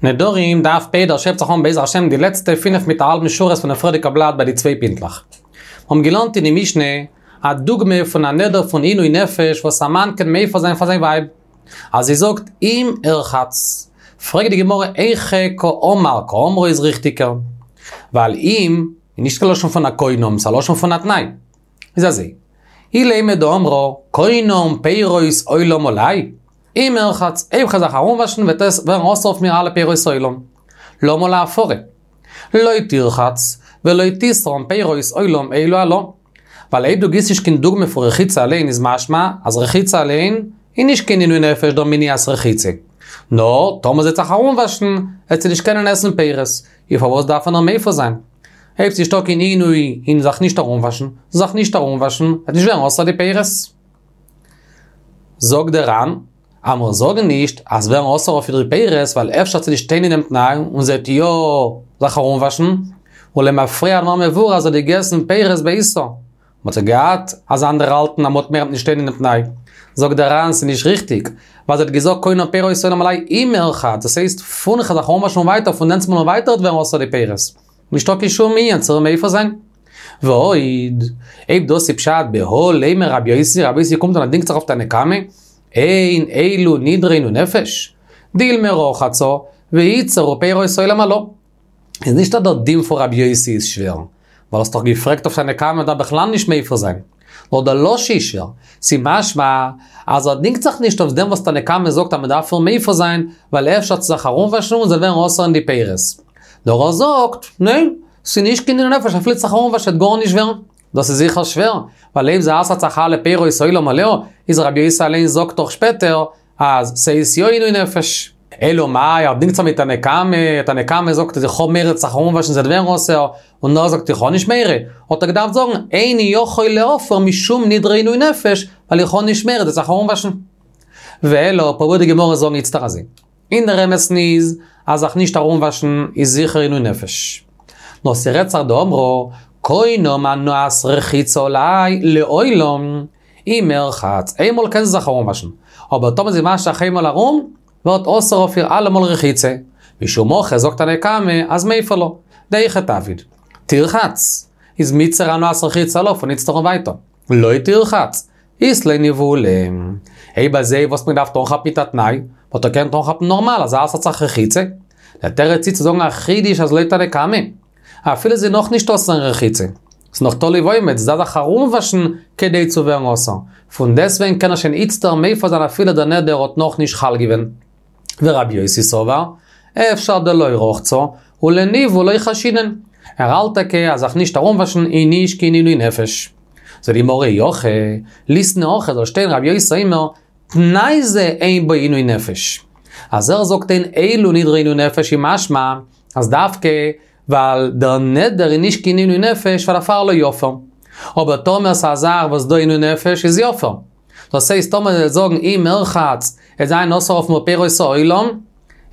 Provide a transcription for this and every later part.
נדרים, דף פ' דער שעפט זיך אן בעזר השם די לעצטע פינף מיט א האלבן שורות פונעם פריערדיגע בלאט ביי די צוויי פינטלעך. מיר האבן געלערנט אין די משנה א דוגמא פון א נדר פון עינוי נפש וואס א מאן קען מפר זיין פאר זיין ווייב אז זי זאגט אם ארחץ. פרעגט די גמרא היכי קאמר קאמרה איז ריכטיגער ווייל אם איז נישט קיין לשון פון א קונם ס'איז א לשון פון א תנאי. איז אזוי, אילימא דאמרה קונם פירות עולם עלי, אם ארחץ, אויב כ'וועל זיך ארומוואשן וועט עס ווערן אסור אויף מיר אלע פירות עולם. למה להפרה? לא תרחץ ולא תתרם פירות עולם אלו עלה. ווייל אויב דו גיבסט נישט קיין דוגמא פון רחיצה אליין איז משמע אז רחיצה אליין איז נישט קיין עינוי נפש דער מניעת רחיצה. נאר טאמער זי וועט זיך ארומוואשן וועט זי נישט קענען עסן פירות. איז פארוואס דארף מען איר מפר זיין? אויב ס'נישטא קיין עינוי אין זיך נישט ארומוואשן, זאל זיך נישט ארומוואשן, וועט נישט ווערן אסור די פירות. זאגט דער ר"ן, אז מיר זאגן נישט אז ווערן אסור אויף איר די פירות ווייל אפשר וועט זי נישט שטיין אינעם תנאי און זי וועט יא זיך ארומוואשן, ולמפרע הדבר מבואר אז זי האט געגעסן פירות בעיסה. מ'האט זיך געהאט אז אנדערע האלטן אז מ'האט מורא מ'וועט נישט שטיין אינעם תנאי. זאגט דער ר"ן ס'איז נישט ריכטיג, ווייל זי האט געזאגט קונם פירות עולם עלי אם ארחץ, דאס הייסט פון כ'וועל זיך ארומוואשן און ווייטער פון דענסטמאל און ווייטער וועט ווערן אסור די פירות. נישטא קיין שום ענין צו מפר זיין. ועוד, אויב דאס איז פשט בהא לימא רבי יוסי, רבי יוסי קומט און ער דינגט זיך אויף תנא קמא, אין אלו נדרי עינוי נפש, דילמא רחצה, ויתסרו פירות עולם עלה. איז נישט אז דער דין פון רבי יוסי איז שווער, ווייל האסט דאך געפרעגט אויף תנא קמא מ'דארף בכלל נישט מפר זיין. נאר דער לשון איז שווער. ס'איז משמע אז ער דינגט זיך נישט אויף דעם וואס תנא קמא זאגט אז מ'דארף איר מפר זיין, ווייל אפשר וועט זי זיך ארומוואשן און ס'וועט ווערן אסור אין די פירות. נאר ער זאגט, ניין, ס'איז נישט קיין עינוי נפש אפילו זיך ארומוואשן וועט גארנישט ווערן. דאס איז זיכער שווער, ווייל אויב זי אסר'ט זיך אלע פירות עולם עליה, איז רבי יוסי אליין זאגט דאך שפעטער אז ס'איז יא עינוי נפש. אלא מאי, ער דינגט זיך מיט תנא קמא, תנא קמא זאגט אז איך האב מורא זיך ארומוואשן ס'וועט ווערן אסור, און ער זאגט איך האב נישט מורא, האט ער געדארפט זאגן איני יכול להפר משום נדרי עינוי נפש, ווייל איך האב נישט מורא זי וועט זיך ארומוואשן. ואלא, פרובירט די גמרא זאגן איצטער אזוי. אין דער אמת'ן איז, אז זיך נישט ארומוואשן איז זיכער עינוי נפש. נאר ס'רעדט זיך דאמרה, קונם הנאת רחיצה עלי לעולם, אם ארחץ, איינמאל קען זי זיך ארומוואשן, אבער טאמער זי וואשט זיך איינמאל ארום, ווערט אסור אויף איר אלעמאל רחיצה. משום הכי זאגט תנא קמא אז מיפר לה. דהיכא תעביד. תרחץ, איז מיתסרא הנאת רחיצה עלה פון איצטער און ווייטער. לא תרחץ, אית לה ניבול. אויב אזוי וואס מען דארף אנכאפן מיט א תנאי, וואלט ער געקענט אנכאפן נארמאל אז אסר'ט זיך רחיצה. דער תירוץ איז צו זאגן א חידוש אז לויט תנא קמא, אפילו זי איז נאך נישט אסור אין רחיצה, ס'איז נאך תלוי ועומד, זי דארף זיך ארומוואשן כדי צו ווערן אסור. פון דעסטוועגן קען ער שוין איצטער מפר זיין אפילו דער נדר האט נאך נישט חל געווען. ורבי יוסי סבר, אפשר דלא רחצה, ולניבול לא חיישינן. ער האלט טאקע אז זיך נישט ארומוואשן איז נישט קיין עינוי נפש. זאגט די גמרא אי הכי, ליתני הכי זאל שטיין רבי יוסי אומר, תנאי זה אין בו עינוי נפש. אז ער זאגט אין אלו נדרי עינוי נפש איז משמע אז דווקא ווייל דער נדר איז נישט קיין עינוי נפש פאר דערפאר לא יפר. אבער טאמער ס'איז א זאך וואס דא עינוי נפש איז יפר. דאס הייסט טאמער זי וועט זאגן אם ארחץ עט זיין אסור אויף מיר פירות העולם,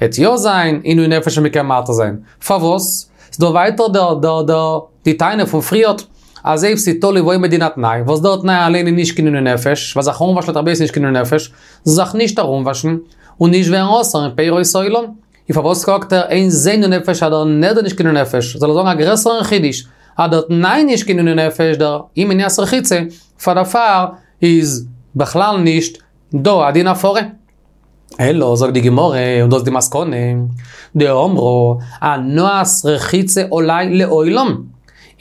עט יא זיין עינוי נפש און מ'קען מתיר זיין. פארוואס? ס'דא ווייטער דער דער דער די טענה פון פריערט אז אויב ס'איז תלוי ועומד אין א תנאי, וואס דער תנאי אליין איז נישט קיין עינוי נפש, ווייל זיך ארומוואשן לויט רבי יוסי איז נישט קיין עינוי נפש, זאל זיך נישט ארומוואשן, און נישט ווערן אסור אין פירות העולם. און פארוואס זאגט ער אין זה עינוי נפש אז דער נדר נישט קיין עינוי נפש, זאל ער זאגן א גרעסערן חידוש, אז דער תנאי נישט קיין עינוי נפש דער אי מניעת רחיצה, פאר דערפאר איז בכלל נישט דא א דין הפרה. אלא זאגט די גמרא, און דאס איז די מסקנא, דאמרה הנאת רחיצה עלי לעולם,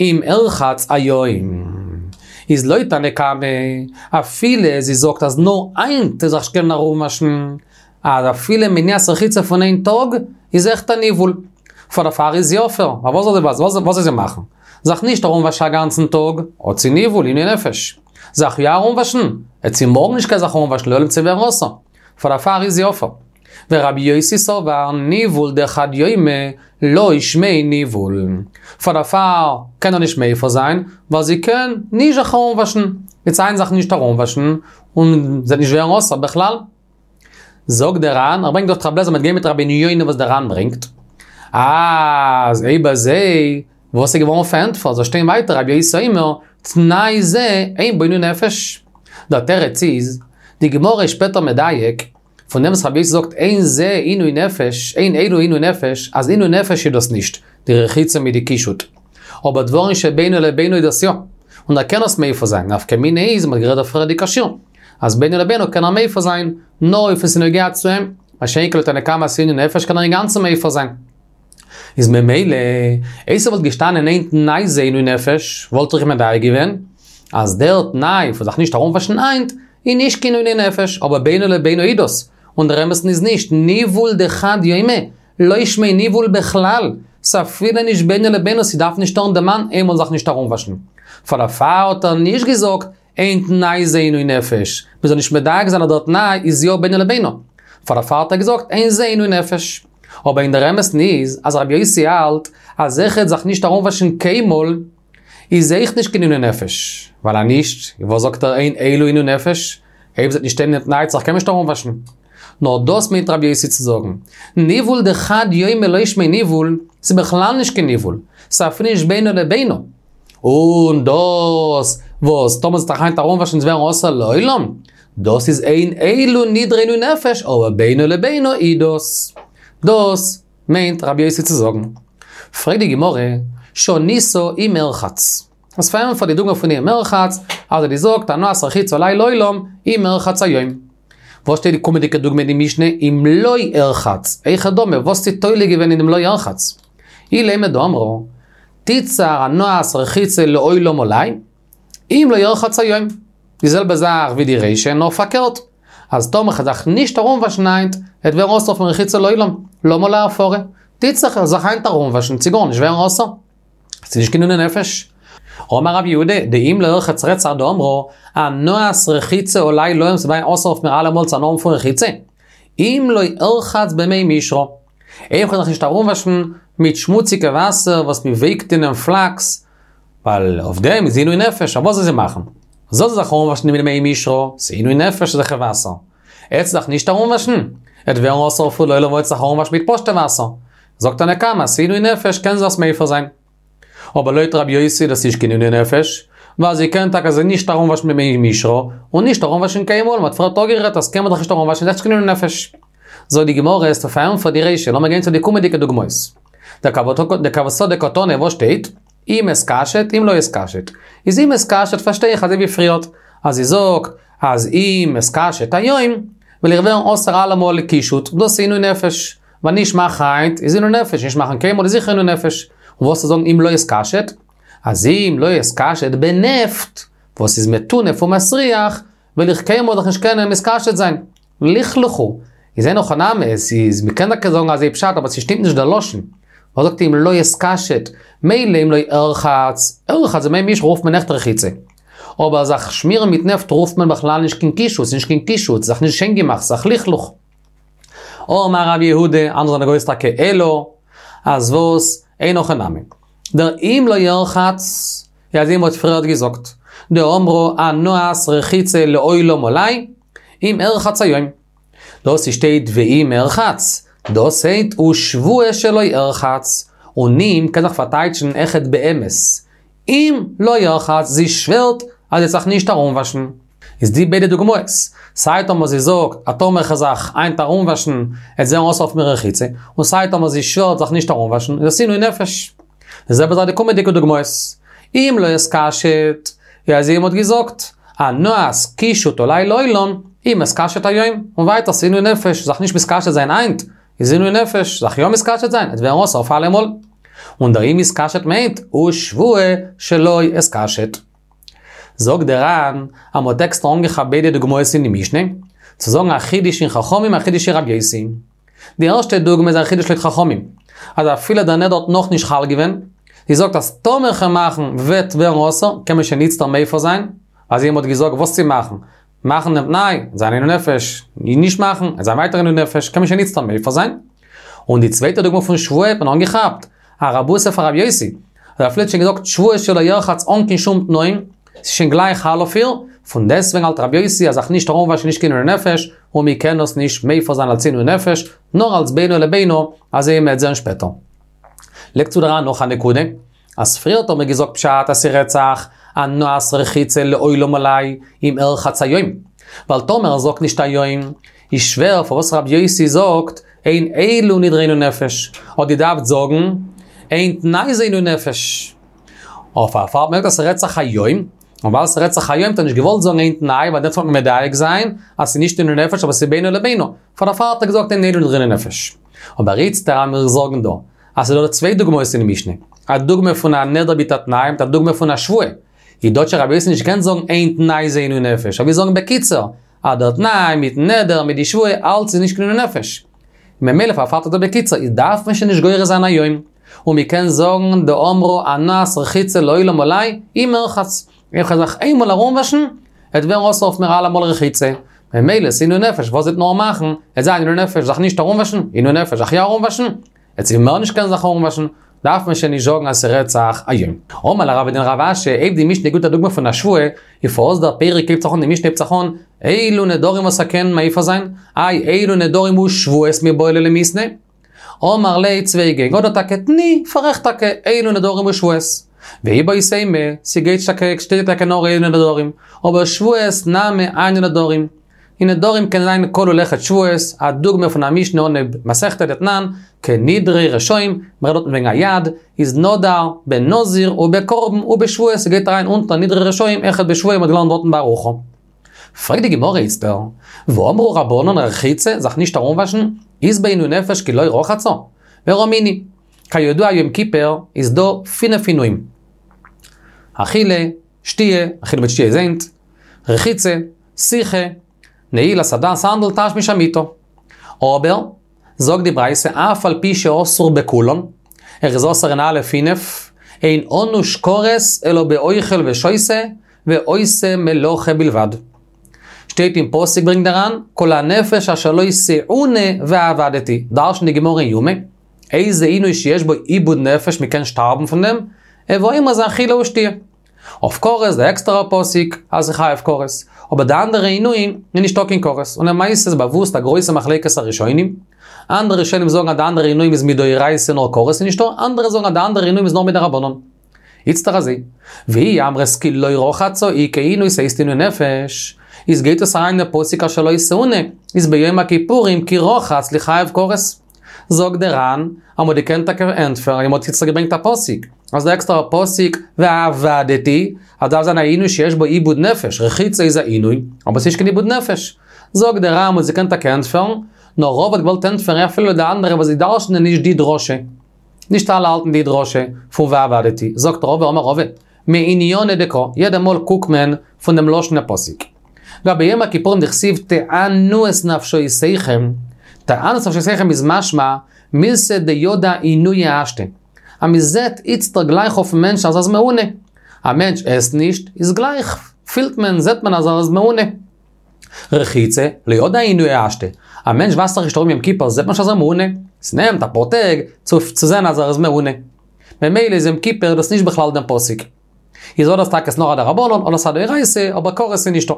אם ארחץ היום. איז לויט תנא קמא, אפילו זי זאגט אז נאר היינט זאל זיך נישט קענען ארומוואשן, אז אפילו מניעת רחיצה פון איין טאג איז אויכעט א ניבול. פאר דערפאר איז יפר, ווייל וואס זאל זי וואס זאל זי מאכן? זיך נישט ארומוואשן א גאנצן טאג, האט זי ניבול, עינוי נפש. זיך יא ארומוואשן, עט זי מארגן נישט קענען זיך ארומוואשן לעולם צו ווערן אסור. פאר דערפאר איז יפר. ורבי יוסי סבר ניבול דחד יומא לא שמיה ניבול. פאר דערפאר קען ער נישט מפר זיין, ווייל זי קען נישט זיך ארומוואשן. וועט זי היינט זיך נישט ארומוואשן, און זי וועט נישט ווערן אסור בכלל. זאגט דער ר"ן, ער ברענגט דאך רב לעזער מ'וועט גיין מיט רבינו יונה וואס דער ר"ן ברענגט, אז אויב אזוי, וואס איז געווארן פארענטפערט, זאל שטיין ווייטער רבי יוסי אומר, תנאי זה אין בו עינוי נפש. דער תירוץ איז, די גמרא איז שפעטער מדייק, פון דעם וואס רבי יוסי זאגט אין זה עינוי נפש, אין אלו עינוי נפש, אז עינוי נפש איז דאס נישט, די רחיצה מיט די קישוט. אבער דברים שבינו לבינו איז דאס יא. און ער קען עס מפר זיין, נפקא מינה איז, מ'האט גערעדט די פריערדיגע שיעור, אז בינו לבינו קען ער מפר זיין, נאר אויב עס איז נוגע צו אים, מה שאין כן לתנא קמא אז ס'איז עינוי נפש קען ער אינגאנצן מפר זיין. איז ממילא, אויב ס'וואלט געשטאנען אין תנאי זה עינוי נפש, וואלט איך מדייק געווען, אז דער תנאי פון זיך נישט ארומוואשן היינט, איז נישט קיין עינוי נפש, אבער בינו לבינו איז דאס, און דער אמת'ן איז נישט, ניוול דחד יומא, לא שמיה ניוול בכלל, ס'אפילו נישט בינו לבינו, ס'דארף נישט טון דער מאן איינמאל זיך נישט ארומוואשן. פאר דערפאר האט ער נישט געזאגט, אין תנאי זה עינוי נפש, מ'זאל נישט מדייק זיין אז דער תנאי איז יא בינו לבינו. פאר דערפאר האט ער געזאגט אין זה עינוי נפש. אבער אין דער אמת'ן איז, אז רבי יוסי האלט אז אויכעט זיך נישט ארומוואשן קיינמאל, איז אויך נישט קיין עינוי נפש. ווייל אז נישט, וואס זאגט ער אין אלו עינוי נפש? אויב ס'וועט נישט שטיין אין תנאי זיך קען מען נישט ארומוואשן. נאר דאס מיינט רבי יוסי צו זאגן, ניוול דחד יומא לא שמיה ניוול, ס'איז בכלל נישט קיין ניוול, ס'איז אפילו נישט בינו לבינו. און דאס וואס טאמער זי וועט זיך היינט ארומוואשן וועט ווערן אסור לעולם, דאס איז אין אלו נדרי עינוי נפש, אבער בינו לבינו איז דאס. דאס מיינט רבי יוסי צו זאגן. פרעגט די גמרא, שנית אם ארחץ. אז פארענטפערט די דוגמא פון אם ארחץ, אז ער זאגט הנאת רחיצה עלי לעולם, אם ארחץ היום. וואס שטייט די קומענדיגע דוגמא אין די משנה, אם לא ארחץ, היכי דמי, וואס איז תולה געווען אין דעם לא ארחץ? אילימא דאמרה, תיתסר הנאת רחיצה לעולם עלי, אם לא ארחץ היום. די זעלבע זאך ווי די רישא, נאר פארקערט, אז טאמער כ'וועל זיך נישט ארומוואשן היינט, וועט ווערן אסור פון רחיצה לעולם, למה להפרה? תיתסר כ'וועל זיך היינט ארומוואשן, צו גארנישט ווערן אסור. ס'איז נישט קיין עינוי נפש. אמר רב יהודה, דאם לא ארחץ רעדט זיך דאמרה, הנאת רחיצה עלי לעולם ס'וועט זיין אסור אויף מיר אלעמאל צו הנאה האבן פון רחיצה. אם לא ארחץ במי מישרא. אויב כ'וועל זיך נישט ארומוואשן מיט שמוציגע וואסער וואס מ'ווייקט אינעם פלאקס, ווייל אויף דעם איז עינוי נפש, אבער וואס זאל זי מאכן? זאל זי זיך ארומוואשן מיט מי מישרא, ס'איז עינוי נפש אזעלכע וואסער. וועט זי זיך נישט ארומוואשן, וועט ווערן אסור אויף איר לעולם וועט זיך ארומוואשן מיט פשוטע וואסער. זאגט תנא קמא, ס'איז עינוי נפש קען זי עס מפר זיין. אבער לויט רבי יוסי דאס נישט קיין עינוי נפש, ווייל זי קען טאקע זיך נישט ארומוואשן במי מישרא, און נישט ארומוואשן קיינמאל, מ'האט פריערט אפגערעדט אז קיינמאל זיך נישט ארומוואשן איז נישט קיין עינוי נפש. זאגט די גמרא, האסטו פארענטפערט די רישא, לאמיר גיין צו די קומענדיגע דוגמאות. דכוותא דקתני וואס שטייט? אם אתקשט אם לא אתקשט. איז אם אתקשט פארשטיי איך אזוי ווי פריערט, אז זי זאגט אז אם אתקשט היום, וועל איך ווערן אסור אלעמאל לקישוט, דאס איז עינוי נפש. ווייל נישט מאכן היינט איז עינוי נפש, נישט מאכן קיינמאל איז זיכער עינוי נפש. און וואס צו זאגן אם לא אתקשט? אז אם לא אתקשט בנפט, וואס איז מטונף ומסריח, וועל איך קיינמאל זיך נישט קענען מתקשט זיין. לכלוך הוא. איז אין הכי נמי, עס איז, מ'קען טאקע זאגן אזוי פשט, אבער ס'שטימט נישט דער לשון. וואס זאגט אם לא אתקשט? מילא אם לא ארחץ, ארחץ במי מישרא רופט מען עכט רחיצה. אבער זיך שמירן מיט נעפט רופט מען בכלל נישט קיין קישוט, ס'איז נישט קיין קישוט, ס'איז זיך נישט שיין געמאכט, ס'איז זיך לכלוך. אמר רב יהודה, אנדערע זענען גורס טאקע אלא, אז וואס, אין הכי נמי. דער אם לא ארחץ, ווי אזוי מ'האט פריערט געזאגט, דאמרה הנאת רחיצה לעולם עלי, אם ארחץ היום. דאס שטייט ואם ארחץ, דאס הייסט ושבועה שלא ארחץ, און אם קען זיך פארטייטשן אויכעט באמת. אם לא ארחץ, זי שווערט אז זי וועט זיך נישט ארומוואשן. איז די ביידע דוגמאות, סיי טאמער זי זאגט אז טאמער איך וועל זיך היינט ארומוואשן עט זיין אסור אויף מיר רחיצה, און סיי טאמער זי שווערט זיך נישט ארומוואשן, איז עס עינוי נפש. די זעלבע זאך די קומענדיגע דוגמאות. אם לא אתקשט, ווי אזוי מ'האט געזאגט, הנאת קישוט עלי לעולם, אם אתקשט היום, און ווייטער ס'עינוי נפש, זיך נישט מתקשט זיין היינט, איז עינוי נפש, זיך יא מתקשט זיין, עט ווערן אסור אויף אלעמאל. און דער אם אתקשט מיינט, ושבועה שלא אתקשט. זאגט דער ר"ן, אז מ'האט עקסטער אנגעכאפט ביידע דוגמאות אין די משנה, צו זאגן א חידוש אין חכמים א חידוש אין רבי יוסי. די ערשטע דוגמא איז א חידוש לויט חכמים, אז אפילו דער נדר האט נאכנישט חל געווען, זי זאגט אז טאמער כ'וועל מאכן וועט ווערן אסור, קען מען שוין איצטער מפר זיין, אזוי מ'האט געזאגט וואס צו מאכן, מאכן דעם תנאי, זיין עינוי נפש, נישט מאכן, עט זיין ווייטער עינוי נפש, קען מען שוין איצטער מפר זיין. און די צווייטע דוגמא פון שבועה האט מען אנגעכאפט, א רבותא פון רבי יוסי, אז אפילו האט שוין געזאגט שבועה שלא ירחץ אן קיין שום תנאים, ס'איז שוין גלייך חל אויף איר, פון דעסטוועגן האלט רבי יוסי אז זיך נישט ארומוואשן נישט קיין עינוי נפש, און מען קען עס נישט מפר זיין אלס עינוי נפש, נאר אלס בינו לבינה, אזוי מ'עט זען שפעטער. לייגט צו דער ר"ן נאך א נקודה, אז פריערט האט מען געזאגט פשט אז ס'רעדט זיך הנאת רחיצה לעולם עלי אם ארחץ היום, ווייל טאמער ער זאגט נישט היום, איז שווער פארוואס רבי יוסי זאגט אין אלו נדרי עינוי נפש, האט געדארפט זאגן אין תנאי זה עינוי נפש. אויף דערפאר האט מען געזאגט אז ס'רעדט זיך היום, און ווייל ס'רעדט זיך היום האט ער נישט געוואלט זאגן אין תנאי ווייל דעמאלטס וועט מען מדייק זיין אז ס'איז נישט עינוי נפש אבער ס'איז בינו לבינו, פאר דערפאר האט ער געזאגט אין אלו נדרי עינוי נפש. אבער איצטער אז מיר זאגן דא אז ס'איז דא צוויי דוגמאות אין משנה, א דוגמא פון א נדר מיט א תנאי מיט א דוגמא פון א שבועה, איז דא האט שוין רבי יוסי נישט געקענט זאגן אין תנאי זה עינוי נפש, ער וויל זאגן בקיצור, אז דער תנאי מיטן נדר מיט די שבועה אלץ איז נישט קיין עינוי נפש. ממילא פארפארט ער דא בקיצור, איז דארף מען שוין נישט גורס זיין היום, און מען קען זאגן דאמרה הנאת רחיצה לעולם עלי אם ארחץ, איך וועל זיך איינמאל ארומוואשן, וועט ווערן אסור אויף מיר אלעמאל רחיצה, ממילא ס'עינוי נפש וואס זי וועט נאר מאכן, וועט זיין עינוי נפש זיך נישט ארומוואשן, עינוי נפש זיך יא ארומוואשן, וועט זי מער נישט קענען זיך ארומוואשן, דארף מען שוין נישט זאגן אז ס'רעדט זיך היום. אמר ליה רבא לרב אשי, אויב די משנה גיבט א דוגמא פון א שבועה, איז פארוואס דער פרק הייבט זיך אן, די משנה הייבט זיך אן, אלו נדרים וואס ער קען מפר זיין, איי אלו נדרים ושבועות מיבעי ליה למיתני? אמר ליה צוויי געגן, אדער טאקע תני, פאררעכט טאקע, אלו נדרים ושבועות. ואיבעית אימא, ס'גייט טאקע, שטייט טאקע נאר אלו נדרים, אבער שבועות נמי הני נדרים. אין נדרים קען זיין כלול אויכעט שבועות, א דוגמא פון א משנה אנהייב מסכתא דתנן, כנדרי רשעים, מ'רעדט דארטן וועגן א יד, איז נדר בנזיר ובקרבן ובשבועות, ס'גייט אריין אונטער נדרי רשעים אויכעט בשבועה מ'האט געלערנט דארטן בארוכה. פרעגט די גמרא איצטער, והאמרו רבנן רחיצה, זיך נישט ארומוואשן, אית בה עינוי נפש כי לא רחצה? ורמינהי, כידוע יום כיפור איז דא פינף עינויים. אכילה, שתיה, אכילה מיט שתיה איז איינס, רחיצה, סיכה, נעילת הסנדל, תשמיש המיטה. אבער, זאגט די ברייתא, אף על פי שאסור בכולן, ער איז אסור אין אלע פינף, אין ענוש כרת אלא באוכל ושותה, ועושה מלאכה בלבד. שטייט אין פסוק ברענגט דער ר"ן, כל הנפש אשר לא תאונה ועבדתי, דרש'נט די גמרא אין יומא, איזה עינוי שיש בו איבוד נפש, מ'קען שטארבן פון דעם, הוי אומר זה אכילה ושתיה. אויף כרת די עקסטערע פסוק אז ס'איז חייב כרת, אבער די אנדערע עינויים איז נישטא קיין כרת, און למעשה איז באוואוסט א גרויסע מחלוקת הראשונים, אנדערע ראשונים זאגן אז די אנדערע עינויים איז מדאורייתא נאר כרת איז נישטא, אנדערע זאגן אז די אנדערע עינויים איז נאר מדרבנן. איצטער אזוי, ואי אמרת כי לא רחצה איכא עינוי ס'הייסט עינוי נפש, איז גייט עס אריין אין פסוק אשר לא תאונה, איז ביום הכיפורים כי רחץ ליחייב כרת. זאגט דער ר"ן, אז מ'האט געקענט טאקע ענטפערן, אז מ'האט איצטער געברענגט א פסוק, אז דער עקסטערע פסוק ועבדתי, אז דארף זיין א עינוי שיש בו איבוד נפש, רחיצה איז א עינוי, אבער ס'נישט קיין איבוד נפש. זאגט דער ר"ן, מ'האט געקענט טאקע ענטפערן, נאר רבא האט געוואלט ענטפערן אפילו די אנדערע וואס זיי דרש'נען נישט די דרשה. נישט אלע האלטן די דרשה פון ועבדתי, זאגט רבא אמר רבא, מעניינא דקרא, יעדע מאל קוקט מען פון דעם לשון הפסוק. גבי יום הכיפורים דכתיב תענו את נפשותיכם, תענו את נפשותיכם איז משמע, מילתא דידע עינויא השתא. אז מען זעט איצטער גלייך אויפן מענטש אז ער איז מעונה. א מענטש עסט נישט, איז גלייך פילט מען, זעט מען אז ער איז מעונה. רחיצה, לא ידע עינויא השתא. א מענטש וואשט זיך נישט ארום יום כיפור זעט מען נישט אז ער איז מעונה. ס'נעמט אפאר טעג צו זען אז ער איז מעונה. ממילא איז יום כיפור דאס נישט בכלל דעם פסוק. איז אדער טאקע ס'נאר א דרבנן אדער ס'א דאורייתא, אבער כרת איז נישטא.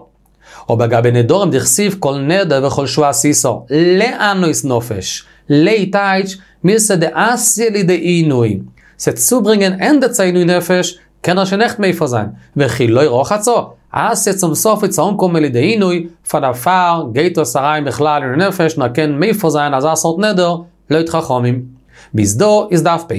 אבער גבי נדרים דכתיב כל נדר וכל שבועה עשית לענות נפש, ל טייטש מילתא דאתיא לידי עינוי, ס'עט צוברענגען ענדע צו עינוי נפש, קען ער שוין עכט מפר זיין, וכי לא רחצה, אתיא צום סוף וועט ס'אנקומען לידי עינוי, פאר דערפאר גייט עס אריין בכלל עינוי נפש און ער קען מפר זיין אזא סארט נדר, לויט חכמים. ביז דא איז דף פ'.